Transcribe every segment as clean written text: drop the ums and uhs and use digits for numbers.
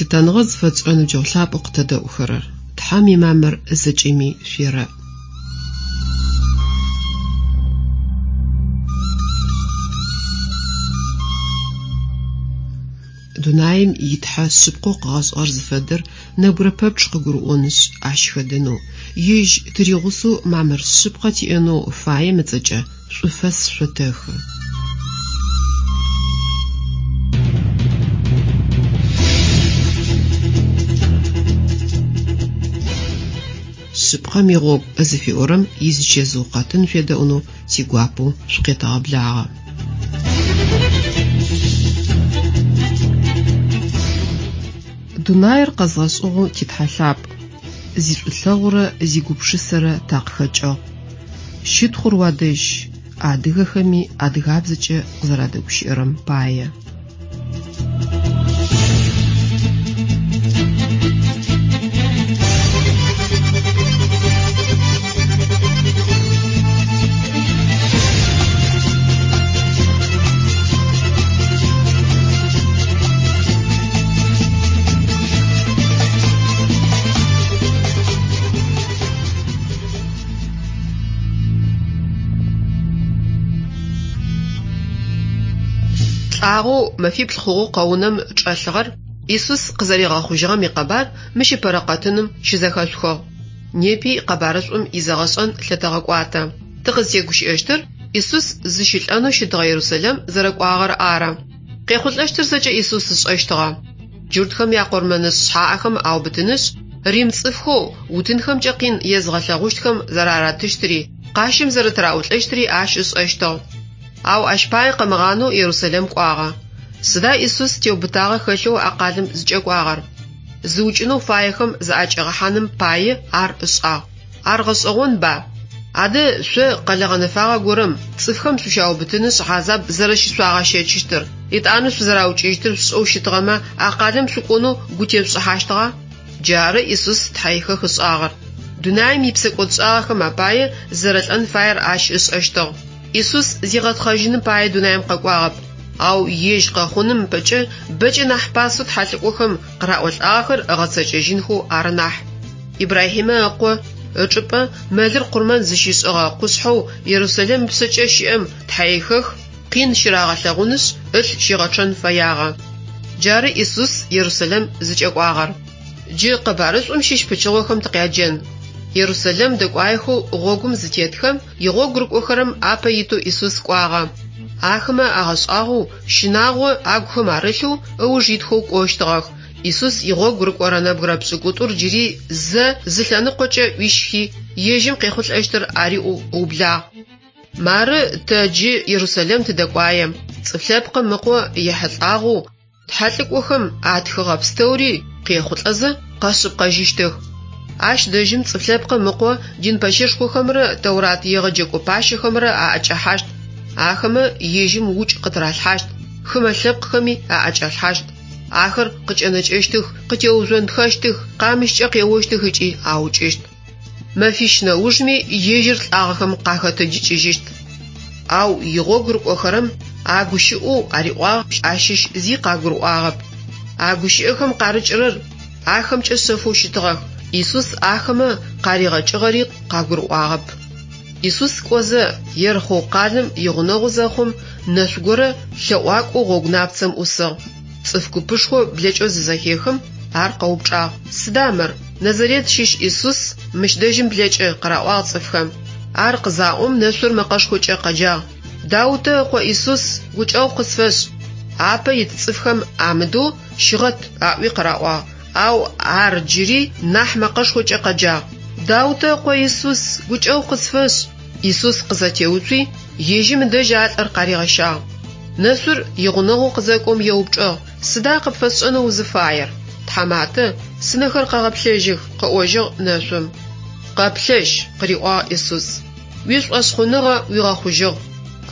Лъытэныгъэ зыфэтшӏырэ ныбджэгъу лъапӏэу къытэдэӏухэрэр! Тхьэм имамыр зэкӏэми шъуерэӏ. Дунаим и Тхьэ шъыпкъэу къыгъэшӏыгъэр зыфэдэр нэбгырэ пэпчъ къыгурыӏонышъ, ащ хэдэнэу, Ежь тыригъусэу мамыр шъыпкъэ тиӏэнэу фаем ыцӏэкӏэ шӏуфэс шъотэхы. Шъыпкъэм игъогу зыфиӏорэм изичэзыу къэтын шъуедэӏунэу тигуапэу шъукъетэгъэблагъэ. Дунаир къэзгъэшӏыгъэу ти Тхьэ лъапӏ, зишӏулъэгъурэ зигупшысэрэ такъыхэкӏыгъ. Щытхъур уадэжь, адыгэхэми адыгабзэкӏэ къызэрадэгущыӏэрэм пае. Лӏагъэу мэфиплӏ хъугъэу къэунэм чӏэлъыгъэр Исус къызэригъэхъужьыгъэм икъэбар мыщ ыпэрэ къэтыным щызэхэшъухыгъ. Непи къэбарышӏум изэгъэшӏэн лъытэгъэкӏуатэ. Тыкъызтегущыӏэщтыр Исус зыщылӏэнэу щытыгъэ Ерусэлэм зэрэкӏуагъэр ары. Къехъулӏэщтыр зэкӏэ Исус ышӏэщтыгъэ. Джуртхэм якъурмэнышӏ шъхьаӏэхэм аубытынышъ, рим цӏыфхэу утынхэмкӏэ къин езыгъэлъэгъущтхэм зэраратыщтыри, къащым зэрэтыраӏулӏэщтыри ащ ышӏэщтыгъ. Ау ащ пае къымыгъанэу Ерусэлэм кӏуагъэ. Сыда Исус теубытагъэ хэлъэу а къалэм зыкӏэкӏуагъэр? Зыукӏынэу фаехэм заӏэкӏигъэхьаным пае ар ышӏагъ. Ар гъэшӏэгъонба? Адэ шъо къэлэ гъэнэфагъэ горэм цӏыфхэм шъущаубытынышъ хьазаб зэрэщышъуагъэщэчыщтыр, етӏанэ шъузэраукӏыщтыр шъушӏэу щытыгъэмэ, а къалэм шъукӏонэу гу тешъушӏыхьащтыгъа? Джары Исус тхьэихэх ышӏагъэр. Дунаим ипсэкӏодшӏагъэхэм апае зэрэлӏэн фаер ащ ышӏэщтыгъ. Исус зигъэтхъэжьыным пае дунаим къэкӏуагъэп, ау ежь къэхъуным ыпэкӏэ бэкӏэ нахь пасэу тхьэлӏыкӏохэм къыраӏолӏагъэхэр ыгъэцэкӏэжьынхэу ары нахь. Ибрахьимэ ыкъо ычӏыпӏэ мэлыр къурмэн зыщишӏыгъэ къушъхьэу Ерусэлэм ыпшъэкӏэ щыӏэм тхьэихэх къин щырагъэлъэгъунышъ, ылъ щигъэчъэн фэягъэ. Джары Исус Ерусэлэм зыкӏэкӏуагъэр. Джы къэбарышӏум щыщ пычыгъохэм тыкъяджэн. Ерусэлэм дэкӏуаехэу гъогум зытетхэм, игъогу рыкӏохэрэм апэ итэу Исус кӏуагъэ. Ахэмэ агъэшӏагъоу, щынагъо агухэм арылъэу ыуж итхэу кӏощтыгъэх. Исус игъогу рыкӏорэ нэбгырэ пшӏыкӏутӏур джыри зэ зы лъэныкъокӏэ ӏуищхи, ежьым къехъулӏэщтыр ариӏоу ыублагъ. Мары тэ джы Ерусэлэм тыдэкӏуае, Цӏыф Лъэпкъым Ыкъо ехьылӏагъэу тхьэлӏыкӏохэм атхыгъэ пстэури къехъулӏэзэ къэшъыпкъэжьыщтых. Ащ дэжьым Цӏыф Лъэпкъым Ыкъо дин пэщэшхохэмрэ Тэурат егъэджэкӏо пащэхэмрэ аӏэкӏэхьащт. Ахэмэ ежьым укӏ къытыралъхьащт, хымэ лъэпкъхэми аӏэкӏалъхьащт. Ахэр къыкӏэнэкӏэщтых, къытеужъонтхэщтых, къамыщкӏэ къеощтых ыкӏи аукӏыщт. Мэфищ нэужми ежьыр лӏагъэхэм къахэтэджыкӏыжьыщт. Ау игъогу рыкӏохэрэм а гущыӏэу ариӏуагъ ащыщ зи къагурыӏуагъэп. А гущыӏэхэм къарыкӏырэр ахэмкӏэ шъэфэу щытыгъэх, Исус ахэмэ къаригъэкӏыгъэри къагурыӏуагъэп. Исус кӏозэ, Ерыхъоу къалэм игъунэгъу зэхъум, нэшъу горэ лъэӏуакӏоу гъогу напцэм ӏусыгъ. Цӏыф купышхо блэкӏэу зызэхехым, ар къэупчӏагъ, Сыда мыр? Назарет щыщ Исус мыщ дэжьым блэкӏы, къыраӏуагъ цӏыфхэм. Ар къызаӏом, нэшъур мэкъэшхокӏэ къэджагъ, Даутэ ыкъо Исус, гукӏэгъу къысфэшӏ! Апэ ит цӏыфхэм амыдэу, Щыгъэт! аӏуи къыраӏуагъ. Ау ар джыри нахь мэкъэшхокӏэ къэджагъ, Даутэ ыкъо Исус, гукӏэгъу къысфэшӏ! Исус къызэтеуцуи, ежьым ыдэжь а лӏыр къаригъэщагъ. Нэшъур игъунэгъоу къызэкӏом еупчӏыгъ, Сыда къыпфэсшӏэнэу узыфаер? Тхьаматэ, сынэхэр къэгъэплъэжьых, къыӏожьыгъ нэшъум. Къэплъэжь, къыриӏуагъ Исус. Уишӏошъхъуныгъэ уигъэхъужьыгъ.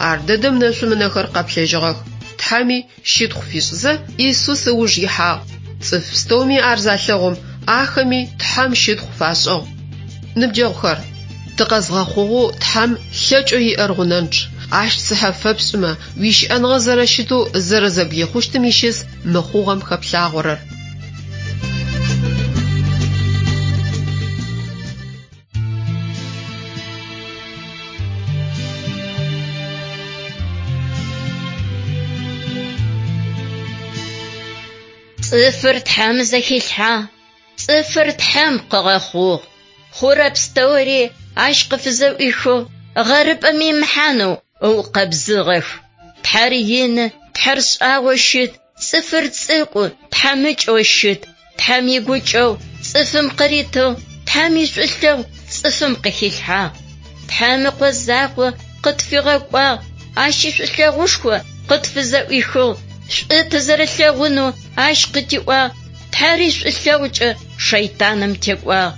Ар дэдэм нэшъум ынэхэр къэплъэжьыгъэх. Тхьэми щытхъу фишӏызэ, Исус ыуж ихьагъ. Цӏыф пстэуми ар залъэгъум, ахэми Тхьэм щытхъу фашӏыгъ. Ныбджэгъухэр, тыкъэзгъэхъугъэу Тхьэм лъэкӏэу иӏэр гъунэнчъ. Ащ цыхьэ фэпшӏымэ, уищыӏэныгъэ зэрэщытэу зэрэзэблихъущтым ищыс мы хъугъэм хэплъагъорэр. Цӏыфыр Тхьэм зэхилъхьагъ, цӏыфыр Тхьэм къыгъэхъугъ. Хъурэ пстэури ащ къыфызэӏуихыгъ, гъэрыпӏэм имыхьанэу ыукъэбзыгъэх. Тхьэр ины, Тхьэр шӏагъоу щыт, цӏыфыр цӏыкӏу, тхьамыкӏэу щыт. Тхьэм игукӏэгъу цӏыфым къыритыгъ, Тхьэм ишӏулъэгъу цӏыфым къыхилъхьагъ. Тхьэм ыкъо закъо къытфигъэкӏуагъ, ащ ишӏулъэгъушхо къытфызэӏуихыгъ, шӏу тызэрэлъэгъунэу ащ къытиӏуагъ, Тхьэри шӏулъэгъукӏэ шэйтаным текӏуагъ.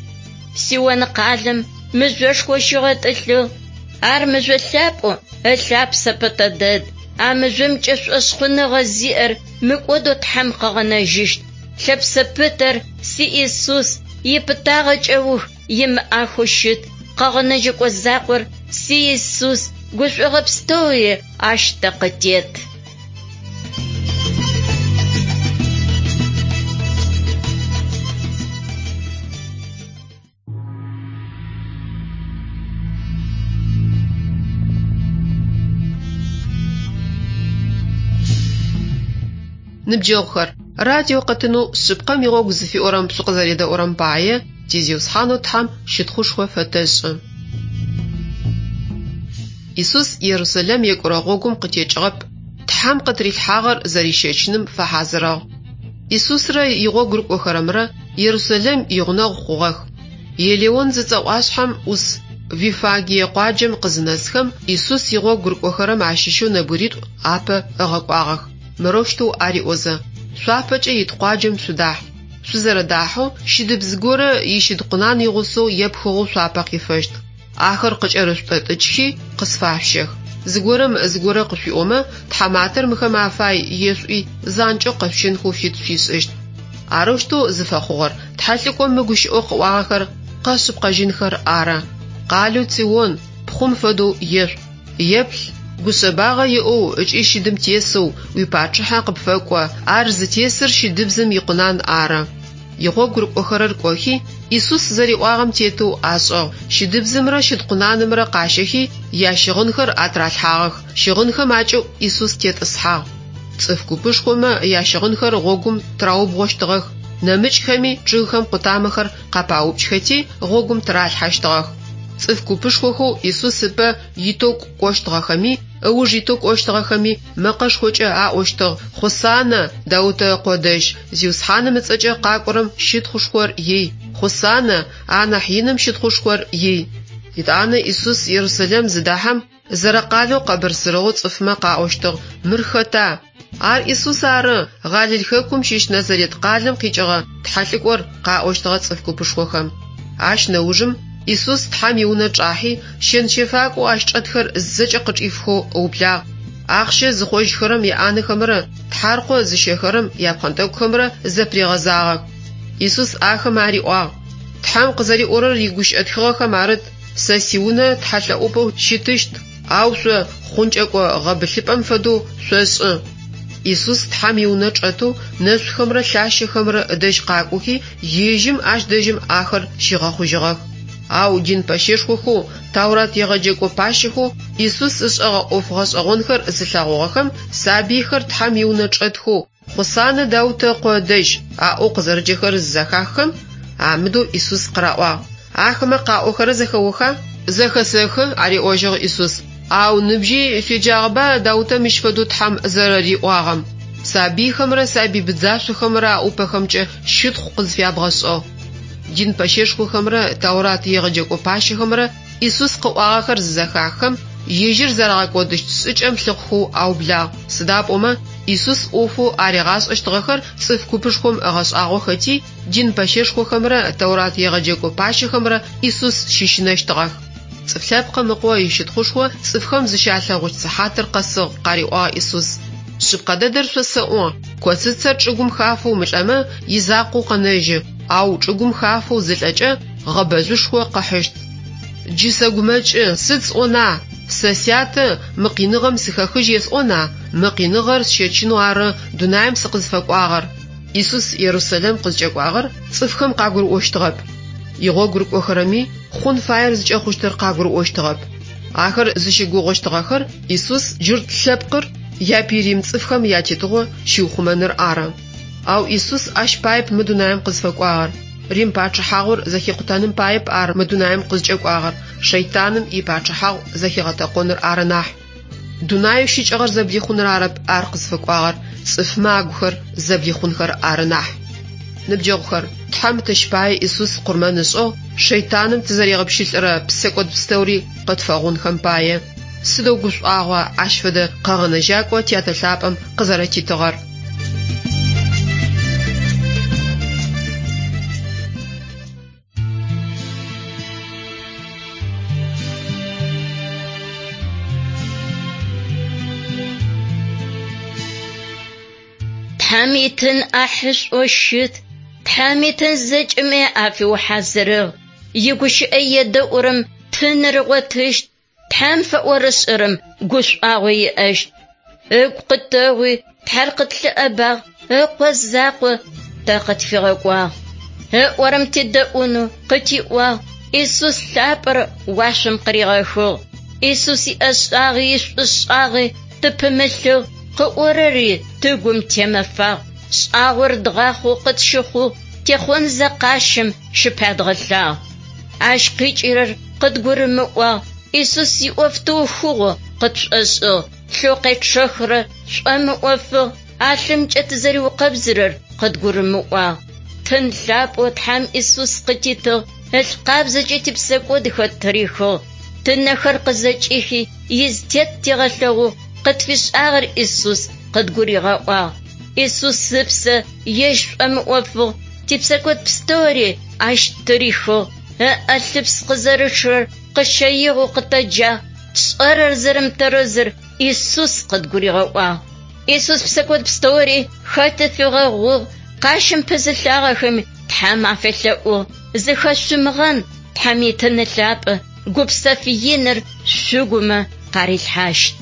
Сион къалэм мыжъошхо щигъэтӏылъыгъ, ар мыжъо лъапӏэу ылъапсэ пытэ дэд. А мыжъомкӏэ шӏошъхъуныгъэ зиӏэр мыкӏодэу Тхьэм къыгъэнэжьыщт. Лъэпсэ пытэр си Исус ипытагъэ кӏэух имыӏахэу щыт. Къэгъэнэжьэкӏо закъор си Исус, гушӏогъэ пстэури ащ тэ къытет. Ныбджэгъухэр, радио къэтынэу Шъыпкъэм игъогу зыфиӏорэм шъукъызэредэӏурэм пае ти Зиусхьанэу Тхьэм щытхъушхо фэтэшӏы. Исус Ерусалим екӏурэ гъогум къытекӏыгъэп, Тхьэм къытырилъхьагъэр зэрищэчыным фэхьазырыгъ. Исусрэ игъогу рыкӏохэрэмрэ Ерусалим игъунэгъу хъугъэх. Елеон зыцӏэ ӏуашъхьэм ӏус Виффагие къуаджэм къызынэсхэм, Исус игъогу рыкӏохэрэм ащыщэу нэбгыритӏу апэ ыгъэкӏуагъэх, мырэущтэу ариӏозэ: Шъуапэкӏэ ит къуаджэм шъудахь. Шъузэрэдахьэу щыдыбз горэ ищыд къунан игъусэу епхыгъэу шъуапэ къифэщт. Ахэр къыкӏэрышъутӏэтӏыкӏхи, къысфашъущэх. Зыгорэм зыгорэ къышъуиӏомэ, Тхьаматэр мыхэм афай ешъуӏуи, занкӏэу къэшъущэнхэу фит шъуишӏыщт. Арэущтэу зыфэхъугъэр тхьэлӏыкӏом мы гущыӏэу къыӏуагъэхэр къэшъыпкъэжьынхэр ары. Къалэу Цион, пхъум фэдэу ешӏу. Еплъ, гушъэбагъэ иӏэу ыкӏи щыдым тесэу уипачъыхьэ къыпфэкӏо, ар зытесыр щыдыбзым икъунан ары. Игъогу рыкӏохэрэр кӏохи, Исус зэриӏуагъэм тетэу ашӏыгъ. Щыдыбзымрэ щыдкъунанымрэ къащэхи, ящыгъынхэр атыралъхьагъэх. Щыгъынхэм акӏыӏу Исус тетӏысхьагъ. Цӏыф купышхомэ ящыгъынхэр гъогум тыраубгъощтыгъэх, нэмыкӏхэми чъыгхэм къутамэхэр къапаупкӏхэти, гъогум тыралъхьэщтыгъэх. Цӏыф купышхохэу Исус ыпэ итэу кӏощтыгъэхэми, ыуж итэу кӏощтыгъэхэми мэкъэшхокӏэ аӏощтыгъ: Хъусанэ, Даутэ ыкъо дэжь, Зиусхьаным ыцӏэкӏэ къакӏорэм щытхъушхор ий! Хъусанэ, анахь иным щытхъушхор ий! Етӏанэ Исус Ерусалим зыдэхьэм, зэрэкъалэу къэбырсырыгъэу цӏыфмэ къаӏощтыгъ: Мыр хэта? Ар Исус ары, Галил хэкум щыщ Назарет къалэм къикӏыгъэ тхьэлӏыкӏор, къаӏощтыгъэ цӏыф купышхохэм. Ащ нэужым Исус Тхьэм иунэ чӏахьи, щэн-щэфакӏоу ащ чӏэтхэр зэкӏэ къычӏифхэу ыублагъ. Ахъщэ зыхъожьхэрэм яӏанэхэмрэ тхьаркъо зыщэхэрэм япхъэнтӏэкӏухэмрэ зэпыригъэзагъэх. Исус ахэм ариӏуагъ: Тхьэм къызэриӏорэр игущыӏэ тхыгъэхэм арыт: Сэ сиунэ тхьэлъэӏупӏэу щытыщт, ау шъо хъункӏэкӏо гъэбылъыпӏэм фэдэу шъошӏы. Исус Тхьэм иунэ чӏэтэу нэшъухэмрэ лъащэхэмрэ ыдэжь къакӏохи, ежьым ащ дэжьым ахэр щигъэхъужьыгъэх. Ау дин пэщэшхохэу, Таурат егъэджэкӏо пащэхэу Исус ышӏэгъэ ӏоф гъэшӏэгъонхэр зылъэгъугъэхэм сабыйхэр Тхьэм иунэ чӏэтхэу Хъусанэ Даутэ ыкъо ыдэжь аӏоу къызэрэджэхэрэр зызэхаххэм, амыдэу Исус къыраӏуагъ: Ахэмэ къаӏохэрэр зэхэоха? Зэхэсэхы, ариӏожьыгъ Исус. Ау ныбжьи шъуеджагъэба Даутэ мыщ фэдэу Тхьэм зэрэриӏуагъэм: Сабыйхэмрэ сабый быдзашъохэмрэ аӏупэхэмкӏэ щытхъу къызфябгъэшӏыгъ. Дин пэщэшхохэмрэ Таурат егъэджэкӏо пащэхэмрэ Исус къыӏуагъэхэр зызэхаххэм, ежьыр зэрагъэкӏодыщт шӏыкӏэм лъыхъухэу аублагъ, сыда пӏомэ Исус ӏофэу аригъашӏэщтыгъэхэр цӏыф купышхом ыгъэшӏагъохэти, дин пэщэшхохэмрэ Тэурат егъэджэкӏо пащэхэмрэ Исус щыщынэщтыгъэх. Цӏыф Лъэпкъым Ыкъо ищытхъушхо цӏыфхэм зыщалъэгъущт сыхьатыр къэсыгъ, къариӏуагъ Исус. Шъыпкъэ дэдэр шъосэӏо, коцыцэр чӏыгум хафэу мылӏэмэ, изакъоу къэнэжьы, ау чӏыгум хафэу зылӏэкӏэ, гъэбэжъушхо къыхьыщт. Джы сэгумэкӏы, сыд сӏона? Сэ сятэ мы къиныгъэм сыхэхыжь есӏона? Мы къиныгъэр сщэчынэу ары дунаим сыкъызфэкӏуагъэр. Исус Ерусалим къызкӏэкӏуагъэр цӏыфхэм къагурыӏощтыгъэп. Игъогу рыкӏохэрэми хъун фаер зыкӏэхъущтыр къагурыӏощтыгъэп. Ахэр зыщыгугъыщтыгъэхэр Исус джурт лъэпкъыр япый рим цӏыфхэм ятетыгъо щиухъумэныр ары. Ау Исус ащ паеп мы дунаим къызфэкӏуагъэр. Рим пачъыхьагъур зэхикъутэным паеп ар мы дунаим къызкӏэкӏуагъэр, шэйтаным ипачъыхьагъу зэхигъэтэкъоныр ары нахь. Дунаеу щыкӏыгъэр зэблихъуныр арэп ар къызфэкӏуагъэр, цӏыфмэ агухэр зэблихъунхэр ары нахь. Ныбджэгъухэр, Тхьэм тэщ пае Исус къурмэн ышӏыгъ, шэйтаным тызэригъэпщылӏырэ псэкӏод пстэури къытфэгъунхэм пае. Сыдэу гушӏуагъуа ащ фэдэ къэгъэнэжьакӏо Тятэ Лъапӏэм къызэрэтитыгъэр! Тхьэм итын ӏахьышӏоу щыт. Тхьэм итын зэкӏэми афиухьазырыгъ. Игущыӏэ едэӏурэм тыныр ыгъотыщт. Тхьэм фэӏорышӏэрэм гушӏуагъо иӏэщт. Ыгу къытэгъуи, Тхьэр къытлъыӏэбагъ, Ыкъо закъо тэ къытфигъэкӏуагъ. Ыӏорэм тедэӏунэу къытиӏуагъ, Исус лъапӏэр уашъом къыригъэхыгъ. Исус иӏэшӏагъи ишӏушӏагъи тыпымылъыгъ, къыӏорэри тыгум темэфагъ. Шӏагъор дгъахъоу къытщыхъугъ, техъонзэ къащым щыпядгъэлъагъ. Ащ къикӏырэр къыдгурымыӏуагъ, Исус иӏоф тыухыгъэу къытшӏошӏыгъ, лъэу къечъэхырэр шӏомыӏофыгъ, а лъымкӏэ тызэриукъэбзырэр къыдгурымыӏуагъ. Тын лъапӏэу Тхьэм Исус къытитыгъ, ылъ къабзэкӏэ типсэкӏодхэр ттырихыгъ. Тынэхэр къызэкӏихи, изытет тигъэлъэгъугъ, къытфишӏагъэр Исус къыдгуригъэӏуагъ. Исус ыпсэ ежь шӏомыӏофыгъ, типсэкӏод пстэури ащ ттырихыгъ. Ыӏэ лъыпс къызэрычъырэр къыщэигъэу къытэджагъ, тшӏэрэр зэрэмытэрэзыр Исус къыдгуригъэӏуагъ. Исус псэкӏод пстэури хэти фигъэгъугъ, къащым пызылъагъэхэми Тхьэм афелъэӏугъ, зыхэшъумыгъэн Тхьэм итын лъапӏэ, гупсэф иныр шъугумэ къарилъхьащт.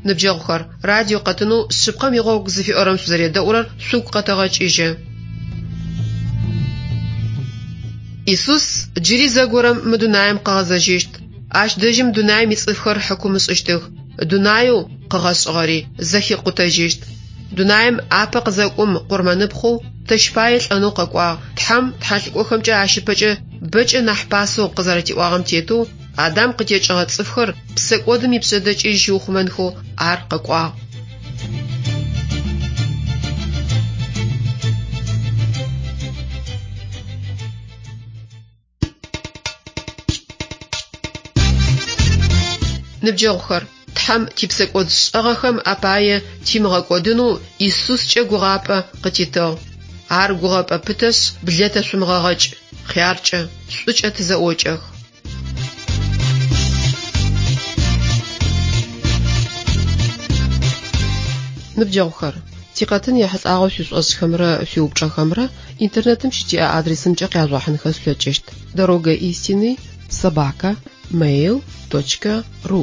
Ныбджэгъухэр, радио къэтынэу Шъыпкъэм игъогу зыфиӏорэм шъузэредэӏурэр шъугу къэтэгъэкӏыжьы. Исус джыри зэгорэм мы дунаим къыгъэзэжьыщт. Ащ дэжьым дунаим ицӏыфхэр хьыкум ышӏыщтых, дунаеу къыгъэшӏыгъэри зэхикъутэжьыщт. Дунаим апэ къызэкӏом къурмэныпхъэу тэщ пае лӏэнэу къэкӏуагъ, Тхьэм тхьэлӏыкӏохэмкӏэ ащ ыпэкӏэ бэкӏэ нахь пасэу къызэрэтиӏуагъэм тетэу, Адам къытекӏыгъэ цӏыфхэр псэкӏодым ипшъэдэкӏыжь щиухъумэнхэу ар къэкӏуагъ. Ныбджэгъухэр, Тхьэм типсэкӏод шӏэгъэхэм апае тимыгъэкӏодынэу Исускӏэ гугъапӏэ къытитыгъ. Ар гугъэпӏэ пытэшъ, блэтэшъумыгъэгъэкӏ, хъяркӏэ, шӏукӏэ тызэӏокӏэх. Ныбджэгъухэр, тикъэтын ехьылӏагъэу шъуишӏошӏхэмрэ шъуиупчӏэхэмрэ интернетым щытиӏэ адресымкӏэ къяжъугъэхьынхэ шъулъэкӏыщт: Дорога истины собака mail.ru.